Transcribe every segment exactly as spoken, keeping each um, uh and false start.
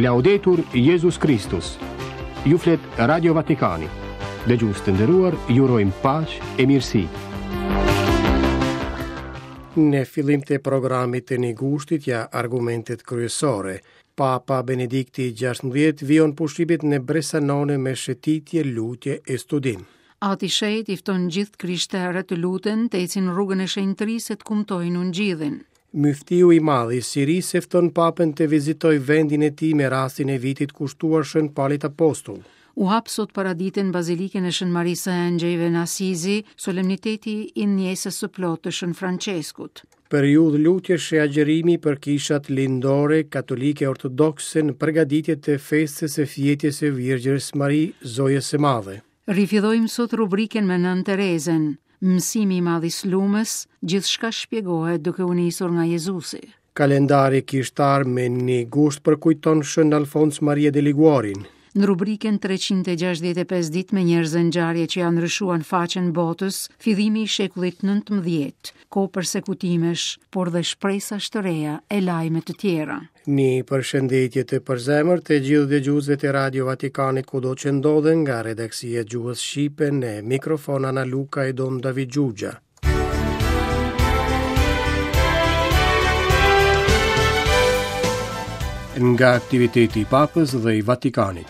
Laudetur Jezus Kristus. Ju flet Radio Vatikani. Dëgjues të nderuar, ju urojmë paqe e mirësi. Në fillim të programit të një gushtit ja argumentet kryesore. Papa Benedikti gjashtëmbëdhjetë vijon pushimet në Bressanone me shëtitje, lutje e studim. Ati Shenjt i fton gjithë krishterët të luten, të ecin rrugën e shenjtërisë e të kumtojnë ungjillin. Myftiu i madh i Sirisë e fton papën të vizitojë vendin e tij me rastin e vitit kushtuar Shën Palit Apostull. U hap sot paradite në Bazilikën e Shën Marisë së Engjëjve në Asizi, solemniteti i ndjesës së plotë të Shën Franceskut. Periudhë lutjesh e agjërimi për kishat lindore, katolike ortodokse në përgatitje të festës së fjetjes së Virgjërës Mari, Zojës së Madhe. Rifillojmë sot rubrikën me Nënë Terezën. Mësimi i madh i Slumës, gjithçka shpjegohet duke u nisur nga Jezusi. Kalendari kishtar me një gusht përkujton Shën Alfons Maria de Liguorin. Në rubrikën treqind e gjashtëdhjetë e pesë ditë me njerëz e ngjarje që janë ndryshuar në faqen botës, fillimi i shekullit nëntëmbëdhjetë, kohë persekutimesh, por dhe shpresash të reja e lajme të tjera. Një përshëndetje të përzemër të gjithë dëgjuesve të Radio Vatikanit kudo që ndodhen nga redaksia e gjuhës shqipe në mikrofon Ana Luka e Dom David Gjugja. Nga aktiviteti i Papës dhe i Vatikanit.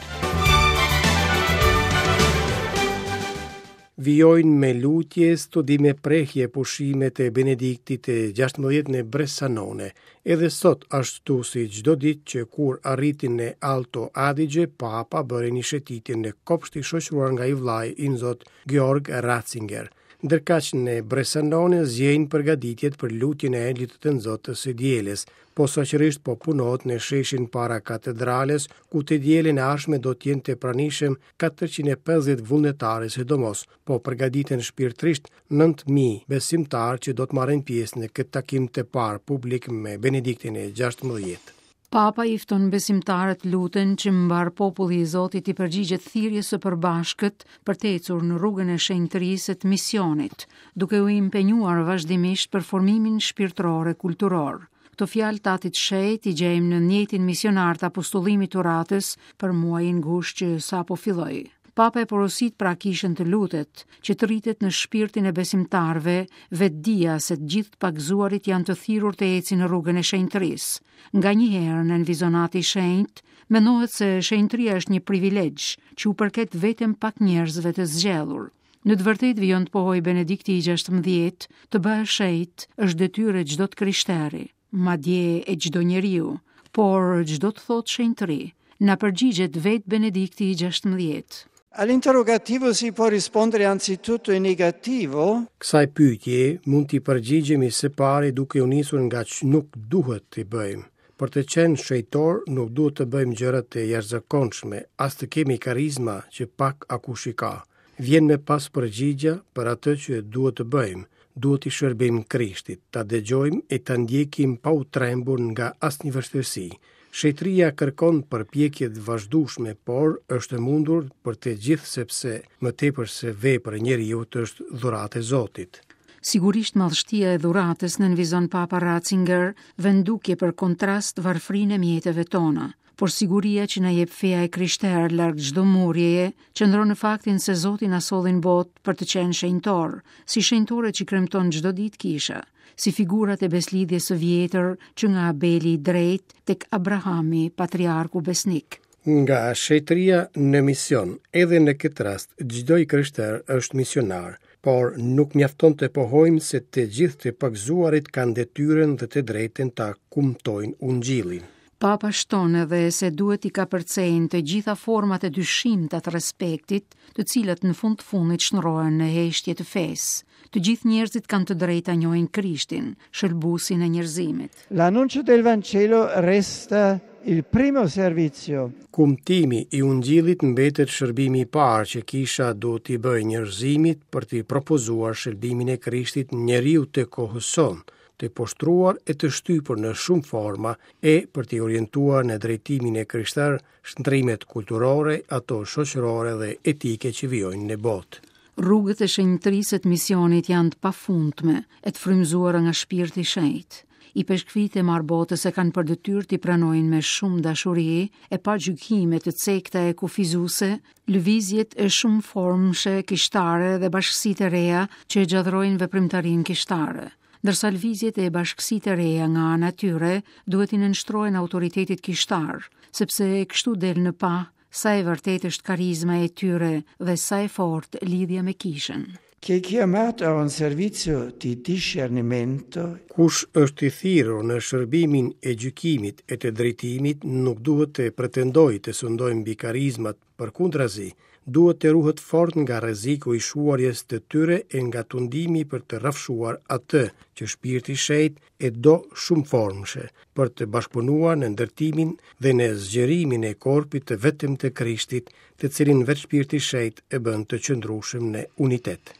Vijojnë me lutje, studime, prehje, pushimet e Benediktit të gjashtëmbëdhjetë në Bressanone. Edhe sot, ashtu si çdo ditë që kur arriti në Alto Adige, Papa bëri një shëtitje në kopsht i shoqëruar nga i vllai i nxot Georg Ratzinger. Ndërkaq në Bressanone zgjejnë përgatitjet për lutjen e Engjëllit të Nxotë së dielës. Posaçërisht po punohet në sheshin para katedrales, ku të dielën e ardhshme do të jenë të pranishëm katërqind e pesëdhjetë vullnetarë, sidomos po përgatiten shpirtërisht nëntë mijë besimtarë që do të marrin pjesë në këtë takim të parë publik me Benediktin e gjashtëmbëdhjetë. Papa i fton besimtarët luten që mbar populli i Zotit i përgjigjet thirrjes së përbashkët për të ecur në rrugën e shenjtërisë të misionit, duke u impenjuar vazhdimisht për formimin shpirtëror e kulturor. Këto fjalë të Atit Shenjt i gjejmë në njetin misionar të apostullimit të uratës për muajin gusht që sapo filloi. Papa e porosit pra kishën të lutet, që të rritet në shpirtin e besimtarëve vetëdija se të gjithë të pagëzuarit janë të thirrur të ecin në rrugën e shenjtërisë. Nga një herë në vizonati i shenjtë, mendohet se shenjtëria është një privilegj që u përket vetëm pak njerëzve të zgjedhur. Në të vërtetë vijon të pohoj Benedikti i gjashtëmbëdhjetë, të bëhesh shenjt është detyrë e çdo të krishteri, madje e çdo njeriu, por çdo të thotë shenjtëri, na përgjigjet vetë Benedikti i gjashtëmbëdhjetë. All'interrogativo si può rispondere anzitutto in negativo. Kësaj pyetje mund t'i përgjigjemi së pari duke u nisur nga që nuk duhet t'i bëjmë. Për të qenë shenjtor nuk duhet të bëjmë gjëra të jashtëzakonshme, as të kemi karizma që pak akush i ka. Vjen me pas përgjigja për atë që duhet të bëjmë. Duhet t'i shërbejmë Krishtit, ta dëgjojmë e ta ndjekim pa u trembur nga asnjë vështirësi. Shenjtëria kërkon përpjekje të vazhdueshme, por është e mundur për të gjithë sepse më tepër se vepër e njeriut është dhuratë e Zotit. Sigurisht madhështia e dhuratës nënvizon Papa Ratzinger, vendukje për kontrast varfrinë e mjeteve tona, por siguria që na jep feja e krishterë larg çdo murjeje, qëndron në faktin se Zoti na solli në botë për të qenë shenjtor, si shenjtorët që kremton çdo ditë kisha, si figurat e beslidhjes së vjetër që nga Abeli i drejt tek Abrahami, patriarku besnik. Nga shenjtëria në mision, edhe në këtë rast, çdo i krishter është misionar, por nuk mjafton të pohojmë se të gjithë të pagëzuarit kanë detyrën dhe të drejtën ta kumtojnë ungjillin. Papa shton edhe se duhet i kapërcejnë të gjitha format e dyshimta të respektit, të cilat në fund të fundit shndrohen në heshtje të fesë. Të gjithë njerëzit kanë të drejtë ta njohin Krishtin, shëlbuesin e njerëzimit. L'annuncio del Vangelo resta il primo servizio. Kumtimi i ungjillit mbetet shërbimi i parë që kisha duhet t'i bëjë njerëzimit për t'i propozuar shërbimin e Krishtit njeriu të kohës sonë, të poshtruar e të shtypur në shumë forma e për t'i orientuar në drejtimin e krishterë shndrimet kulturore, ato shoqërore dhe etike që vijojnë në botë. Rrugët e shenjtërisë të misionit janë të pafundme e të frymëzuara nga shpirti i shenjtë. Ipeshkvijtë e mbarë botës e kanë për detyrë t'i pranojnë me shumë dashuri e pa gjykime të cekta e kufizuese lëvizjet e shumëformëshe kishtare dhe bashkësitë e reja që e gjallërojnë veprimtarinë kishtare. Ndërsa lëvizjet e bashkësitë e reja nga ana e tyre duhet t'i nënshtrohen autoritetit kishtar, sepse kështu del në pah sa e vërtetë është karizma e tyre dhe sa e fortë lidhja me kishën. Chi è chiamato a un servizio di discernimento Kush është i thirrur në shërbimin e gjykimit e të drejtimit nuk duhet të pretendojë të sundojë mbi karizmat, përkundrazi, duhet të ruhet fort nga rreziku i shuarjes të tyre e nga tundimi për të rrafshuar atë që Shpirti i Shenjtë e do shumëformëshe, për të bashkëpunuar në ndërtimin dhe në zgjerimin e korpit të vetëm të Krishtit, të cilin vetë Shpirti i Shenjtë e bën të qëndrueshëm në unitet.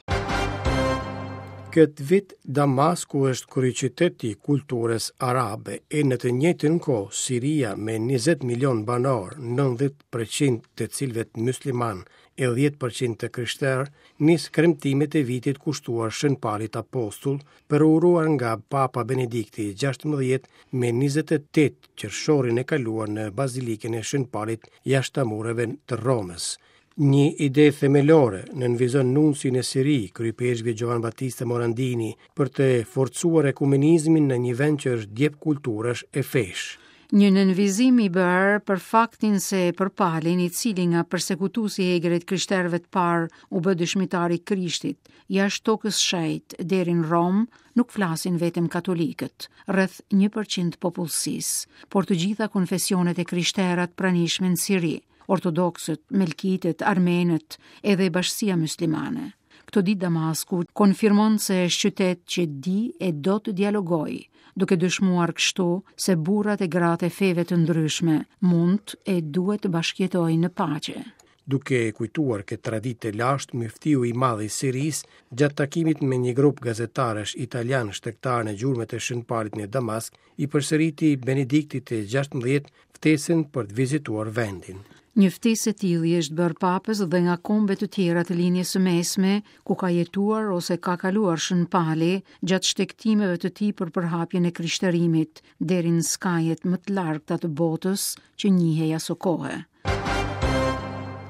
Këtë vit Damasku është kryeqyteti i kulturës arabe e në të njëjtën kohë Siria me njëzet milion banorë, nëntëdhjetë përqind të cilëve musliman e dhjetë përqind të krishterë, nis kremtimet e vitit kushtuar Shën Palit Apostull, përuruar nga Papa Benedikti gjashtëmbëdhjetë me njëzet e tetë qershorin e kaluar në Bazilikën e Shën Palit jashtë mureve të Romës. Një ide themelore nënvizon nunci në Siri, kryepeshkvi Giovan Battista Morandini, për të forcuar ekumenizmin në një vend që është djep kulturash e fesh. Një nënvizim i bërë për faktin se për Palin, i cili nga persekutuesi i egër të krishterëve të parë u bë dëshmitar i Krishtit, jashtë tokës shenjtë deri në Romë, nuk flasin vetëm katolikët, rreth një përqind popullsisë, por të gjitha konfesionet e krishterat pranishme në Siri, ortodoksët, melkitët, armenët, edhe bashkësia muslimane. Këto ditë Damasku konfirmon se është qytet që di e do të dialogojë, duke dëshmuar kështu se burrat e gratë e feve të ndryshme mund e duhet të bashkëjetojnë në paqe. Duke kujtuar këtë traditë të lashtë, myftiu i madh i Sirisë, gjatë takimit me një grup gazetarësh italian shtegtar në gjurmët e Shën Palit në Damask, i përsëriti Benediktit të gjashtëmbëdhjetë ftesën për të vizituar vendin. Një ftesë e tillë i është bërë papës dhe nga kombe të tjera të linjës së mesme, ku ka jetuar ose ka kaluar Shën Pali gjatë shtegtimeve të tij për përhapjen e krishterimit deri në skajet më të largëta të botës që njihej aso kohe.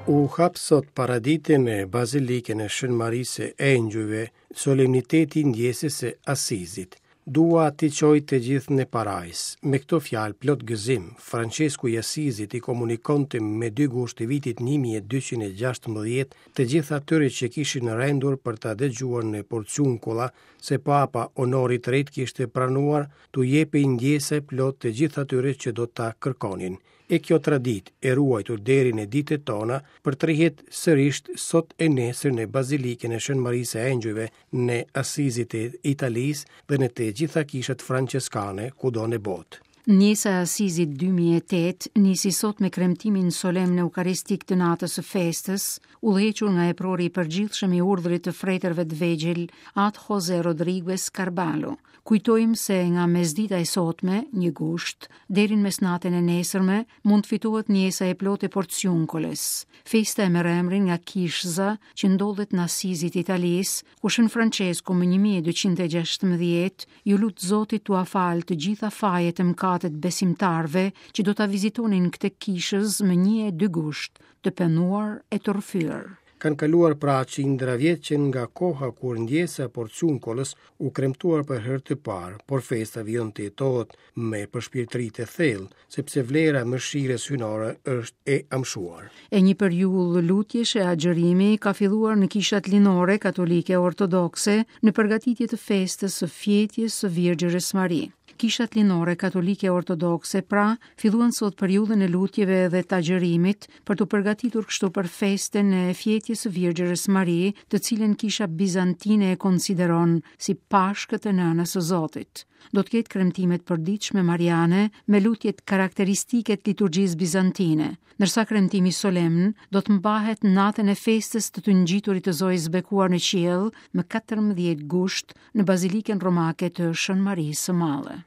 U hap sot paradite në Bazilikën e Shën Marisë së Engjujve solemniteti i ndjesës së Asizit. Dua t'i çoj të gjithë në parajs. Me këto fjalë plot gëzim, Francesku i Asizit i komunikonte me dy gusht të vitit një mijë e dyqind e gjashtëmbëdhjetë të gjithë atyre që kishin rendur për ta dëgjuar në Porciuncola se Papa Honori i Tretë kishte pranuar t'u jepej ndjese plot të gjithë atyre që do ta kërkonin. E kjo traditë e ruajtur deri në ditët tona përtrihet sërish sot e nesër në Bazilikën e Shën Marisë së Engjujve në Asizit e Italisë dhe në të gjitha kishat franceskane kudo në botë. Ndjesa e Asizit dy mijë e tetë nisi sot me kremtimin solemn eukaristik të natës së festës, udhëhequr nga eprori i përgjithshëm i urdhrit të fretërve të vegjël, At Jose Rodriguez Carballo. Kujtojmë se nga mesdita e sotme, një gusht, deri në mesnatën e nesërme, mund të fitohet ndjesa e plotë e Porciuncoles. Festa e merr emrin nga kishza që ndodhet në Asizit të Italisë, ku Shën Francesku më një mijë e dyqind e gjashtëmbëdhjetë ju lut Zotit t'ua falë të gjitha fajet e mëkatet besimtarëve që do ta vizitonin këtë kishëz më një e dy gusht, të penuar e të rrëfyer. Kanë kaluar pra qindra vjet që nga koha kur ndjesa e Porciuncolës u kremtuar për herë të parë, por festa vijon të jetohet me përshpirtëri të thellë, sepse vlera e mëshirës hyjnore është e amshuar. E një periudhë lutjesh e agjërimi ka filluar në kishat linore katolike ortodokse në përgatitje të festës së fjetjes së Virgjërës Mari. Kishat linore katolike ortodokse pra filluan sot periudhën e lutjeve dhe të agjërimit për t'u përgatitur kështu për festën e fjetjes së Virgjërës Mari, të cilën kisha bizantine e konsideron si Pashkët e Nënës së Zotit. Do të ketë kremtime të përditshme mariane me lutjet karakteristike të liturgjisë bizantine, ndërsa kremtimi solemn do të mbahet natën e festës të të ngjiturit të Zojës bekuar në qiell më katërmbëdhjetë gusht në Bazilikën Romake të Shën Marisë së Madhe.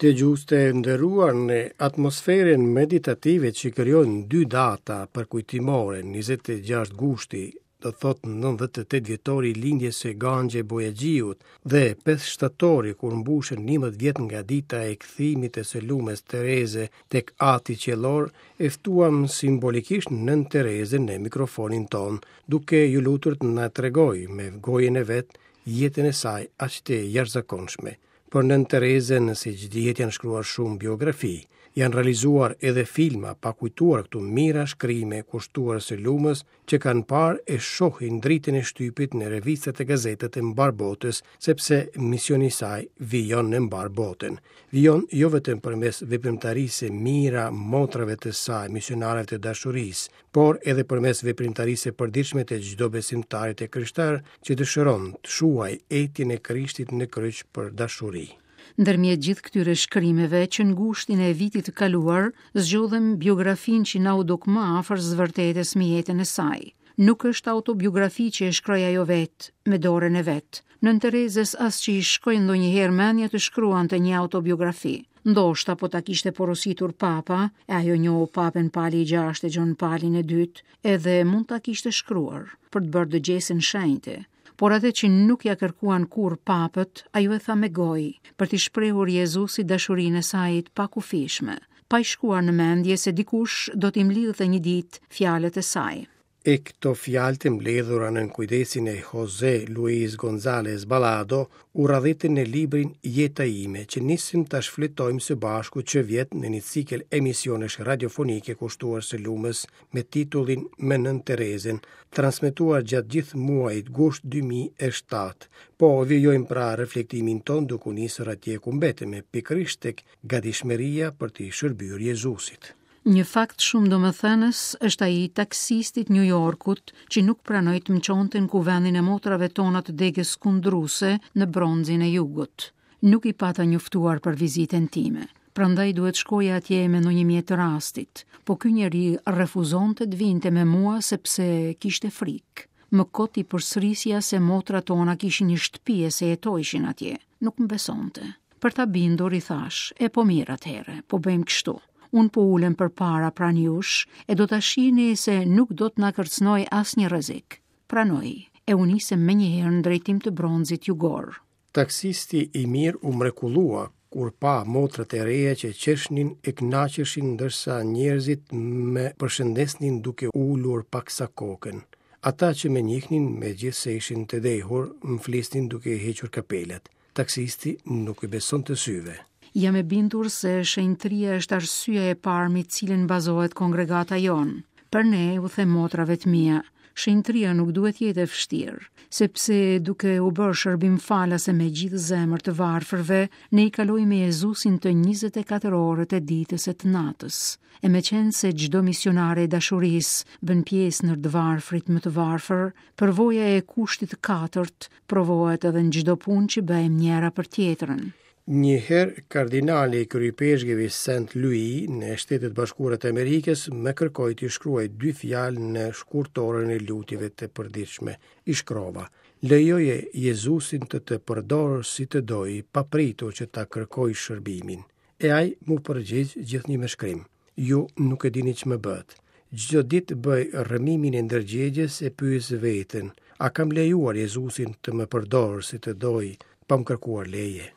Dëgjues të nderuar, në atmosferën meditative që krijojnë dy data përkujtimore, njëzet e gjashtë gushti, do thotë nëntëdhjetë e tetë vjetori i lindjes së Ganxhe Bojaxhiut, dhe pesë shtatori kur mbushen njëmbëdhjetë vjet nga dita e kthimit të së lumës Tereze tek Ati Qiellor, e ftuam simbolikisht Nën Terezën në mikrofonin ton, duke ju lutur të na tregoj me gojën e vet jetën e saj aq të jashtëzakonshme. Për Nën Terezën, siç dihet, janë shkruar shumë biografi, janë realizuar edhe filma, pa kujtuar këtu mijëra shkrime kushtuar së lumës që kanë parë e shohin dritën e shtypit në revistat e gazetat e mbar botës, sepse misioni i saj vijon në mbar botën. Vijon jo vetëm përmes veprimtarisë së mijëra motrave të saj, misionareve të dashurisë, por edhe përmes veprimtarisë së përditshme të çdo besimtari të krishterë që dëshiron të shuajë etjen e Krishtit në kryq për dashuri. Ndërmjet gjithë këtyre shkrimeve që në gushtin e vitit të kaluar, zgjodhëm biografinë që na u duk më afër së vërtetës me jetën e saj. Nuk është autobiografi që e shkroi ajo vetë, me dorën e vet. Nën Terezës as që i shkoi ndonjëherë mendja të shkruante një autobiografi. Ndoshta po ta kishte porositur papa, e ajo njohu papën Pali i gjashtë e Gjon Palin e dytë, edhe mund ta kishte shkruar për të bërë dëgjesën shenjte. Por atë që nuk ja kërkuan kurrë papët, ajo e tha me gojë, për t'i shprehur Jezusit dashurinë e saj të pakufishme, pa i shkuar në mendje se dikush do t'i mblidhte një ditë fjalët e saj. E këto fjalë të mbledhura nën kujdesin e Jose Luis González Balado u radhitën në librin Jeta ime, që nisim ta shfletojmë së bashku që vjet në një cikël emisionesh radiofonike kushtuar së lumës me titullin Me Nën Terezën, transmetuar gjatë gjithë muajit gusht dy mijë e shtatë. Po vijojmë pra reflektimin ton duke u nisur atje ku mbetemi, pikërisht tek gatishmëria për t'i shërbyer Jezusit. Një fakt shumë domethënës është ai i taksistit New Yorkut që nuk pranoi të më çonte në kuvendin e motrave tona të degës kundruse në bronzin e jugut. Nuk i pata njoftuar për vizitën time, prandaj duhet shkoja atje me ndonjë mjet të rastit, po ky njeri refuzonte të vinte me mua sepse kishte frikë. Më kot i përsërisja se motrat tona kishin një shtëpi e se jetojshin atje. Nuk më besonte. Për ta bindur i thash, e po mirë atëherë, po bëjmë kështu. Unë po ulem përpara pranë jush e do ta shihni se nuk do të na kërcënoj asnjë rrezik. Pranoi, e u nisëm menjëherë në drejtim të bronzit jugor. Taksisti i mirë u mrekullua kur pa motrat e reja që qeshnin e kënaqeshin ndërsa njerëzit më përshëndesnin duke ulur paksa kokën. Ata që më njihnin, megjithse ishin të dehur, më flisnin duke i hequr kapelet. Taksisti nuk i besonte syve. Jam e bindur se shenjtëria është arsyeja e parë mbi cilën bazohet kongregata jonë. Për ne, u them motrave të mia, shenjtëria nuk duhet jetë e vështirë, sepse duke u bërë shërbim falas e me gjithë zemër të varfërve, ne i kalojmë me Jezusin të njëzet e katër orët e ditës e të natës. E meqenëse se çdo misionare e dashurisë bën pjesë në të varfrit më të varfër, përvoja e kushtit të katërt provohet edhe në çdo punë që bëjmë njëra për tjetrën. Një herë kardinali i kryepeshkëvi Saint Louis në Shtetet Bashkuara të Amerikës më kërkoi të shkruaj dy fjalë në shkurtorën e lutjeve të përditshme. I shkrova: Lejoje Jezusin të të përdorë si të doj, pa pritur që ta kërkoj shërbimin. E ai mu përgjigj gjithnjë me shkrim: Ju nuk e dini ç'më bëhet. Çdo ditë bëj rrëmimin e ndërgjegjes e pyes veten: a kam lejuar Jezusin të më përdorë si të doj, pa më kërkuar leje?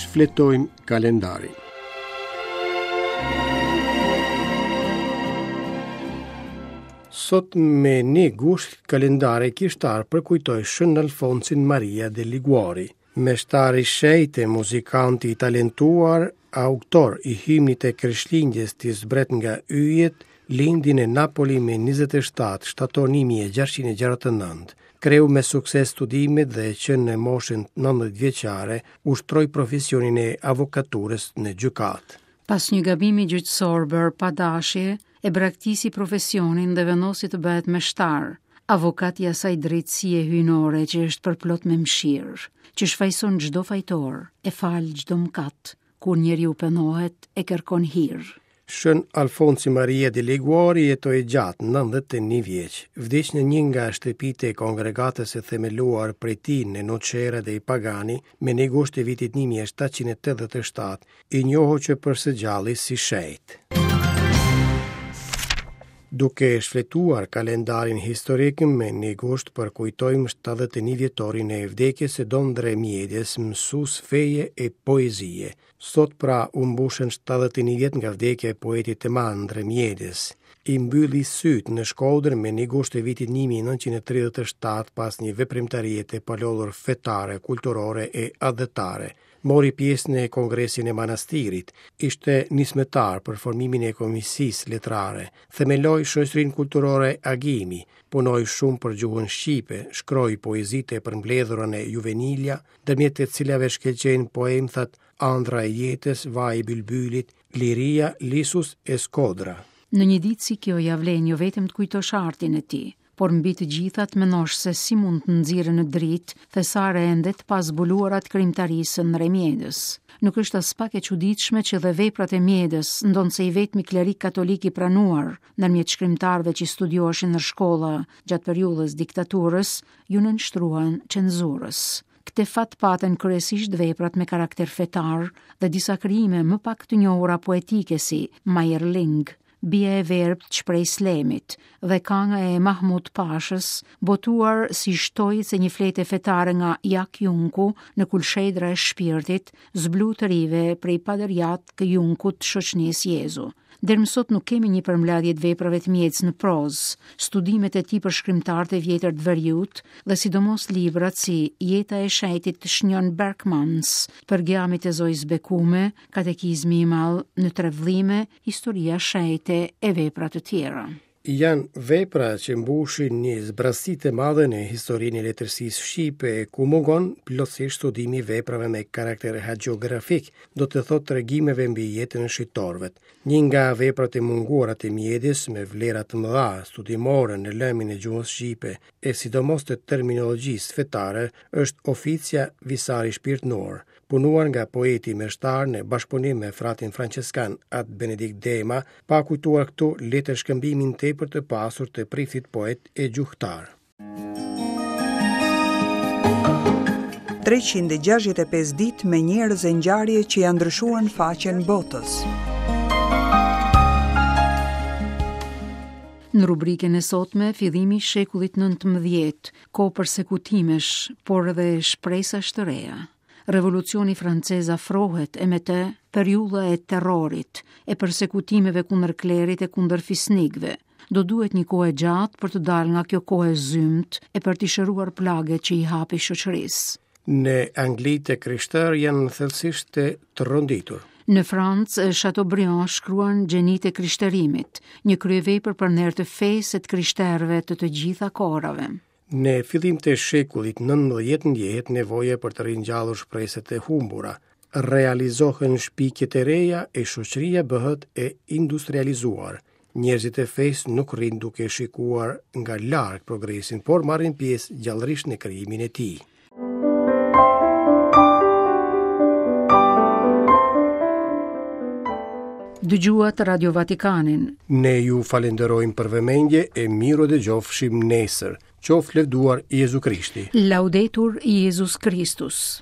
Shfletojmë kalendarin. Sot me një gusht kalendari kishtar përkujtoi Shën Alfonsin Maria de Liguori, meshtari shenjtë, muzikanti i talentuar, autor i himnit e Krishtlindjes të zbret nga yjet, lindi në Napoli me njëzet e shtatë shtator një mijë e gjashtëqind e gjashtëdhjetë e nëntë. Kreu me sukses studimet dhe që në moshën nëntëdhjetë vjeçare ushtroi profesionin e avokaturës në gjykatë. Pas një gabimi gjyqësor bërë pa dashje, e braktisi profesionin dhe vendosi të bëhet meshtar, avokat i asaj drejtësie hyjnore që është përplot me mëshirë, që shfajson çdo fajtor, e fal çdo mëkat, kur njeriu pendohet e kërkon hir. Shën Alfonsi Maria de Liguori jetoi gjatë, nëntëdhjetë e një vjeç. Vdiq në një nga shtëpitë e kongregatës së themeluar prej tij në Nocera dei Pagani me një gusht të vitit një mijë e shtatëqind e tetëdhjetë e shtatë, i njohur që për së gjalli si shenjt. Duke shfletuar kalendarin historik me një gusht përkujtojmë shtatëdhjetë e një vjetorin e vdekjes së Dom Ndre Mjedës, mësues feje e poezie. Sot pra u mbushën shtatëdhjetë e një vjet nga vdekja e poetit të madh Ndre Mjedës. I mbylli sytë në Shkodër me një gusht të vitit një mijë e nëntëqind e tridhjetë e shtatë pas një veprimtarie të palodhur fetare, kulturore e atdhetare. Mori pjesë në Kongresin e Manastirit, ishte nismëtar për formimin e Komisisë Letrare, themeloi shoqërinë kulturore Agimi, punoi shumë për gjuhën shqipe, shkroi poezitë e përmbledhura në Juvenilia, ndërmjet të cilave shkëlqejnë poemthat Andra e jetës, Vaji i Bylbylit, Liria, Lisus e Skodra. Në një ditë si kjo ja vlen jo vetëm të kujtosh artin e tij, por mbi të gjitha të mendosh se si mund të nxirren në dritë thesare ende të pazbuluara të krijimtarisë së Ndre Mjedës. Nuk është as pak e çuditshme që dhe veprat e Mjedës, ndonëse i vetmi klerik katolik i pranuar ndërmjet shkrimtarëve që studioheshin në shkolla gjatë periudhës diktaturës, ju nënshtruan cenzurës. Këtë fat patën kryesisht veprat me karakter fetar dhe disa krijime më pak të njohura poetike si Mayerling, Bia e verbë të Shprej Slemit dhe kanga e Mahmut Pashës, botuar si shtojcë e një flete fetare nga Jak Junku në Kulshedra e Shpirtit, zblu të rive prej Padërjat kë Junkut të shoqënisë Jezu. Deri më sot nuk kemi një përmbledhje të veprave të Mjedës në prozë, studimet e tij për shkrimtarët e vjetër të veriut dhe sidomos librat si Jeta e Shenjtit të Shnjon Berkmans, Përgjamit e Zojës Bekume, Katekizmi i Madh në tre vëllime, Historia Shenjte e vepra të tjera. Janë vepra që mbushin një zbrazësi të madhe në historinë e letërsisë shqipe, ku mungon plotësisht studimi i veprave me karakter hagiografik, do të thotë tregimeve mbi jetën e shqiptarëve. Një nga veprat e munguara të Mjedës me vlera të mëdha studimore në lëmin e gjuhës shqipe e sidomos të terminologjisë fetare është Oficia Visari Shpirtnor, punuar nga poeti meshtar në bashkëpunim me fratin franceskan At Benedikt Dema, pa kujtuar këtu letër shkëmbimin tepër të pasur të priftit poet e gjuhtar. treqind e gjashtëdhjetë e pesë ditë me njerëz e ngjarje që janë ndryshuar në faqen botës. Në rubrikën e sotme, fillimi i shekullit nëntëmbëdhjetë, kohë persekutimesh, por edhe shpresash të reja. Revolucioni francez afrohet e me të periudha e terrorit, e persekutimeve kundër klerit e kundër fisnikëve. Do duhet një kohë e gjatë për të dalë nga kjo kohë e zymtë e për t'i shëruar plagët që i hapi shoqërisë. Në Angli të krishterë janë thellësisht të tronditur. Në Francë, Chateaubriand shkruan Gjenitë e Krishterimit, një kryevepër për nder të fesë e të krishterëve të të gjitha kohërave. Në fillim të shekullit nëntëmbëdhjetë ndjehet nevoja për të ringjallur shpresat e humbura. Realizohen shpikjet e reja e shoqëria bëhet e industrializuar. Njerëzit e fesë nuk rrinë duke shikuar nga larg progresin, por marrin pjesë gjallërisht në krijimin e tij. Dëgjuat Radio Vatikanin. Ne ju falenderojmë për vëmendje e miru dëgjofshim nesër. Qoftë lëvduar Jezu Krishti. Laudetur Jezus Kristus.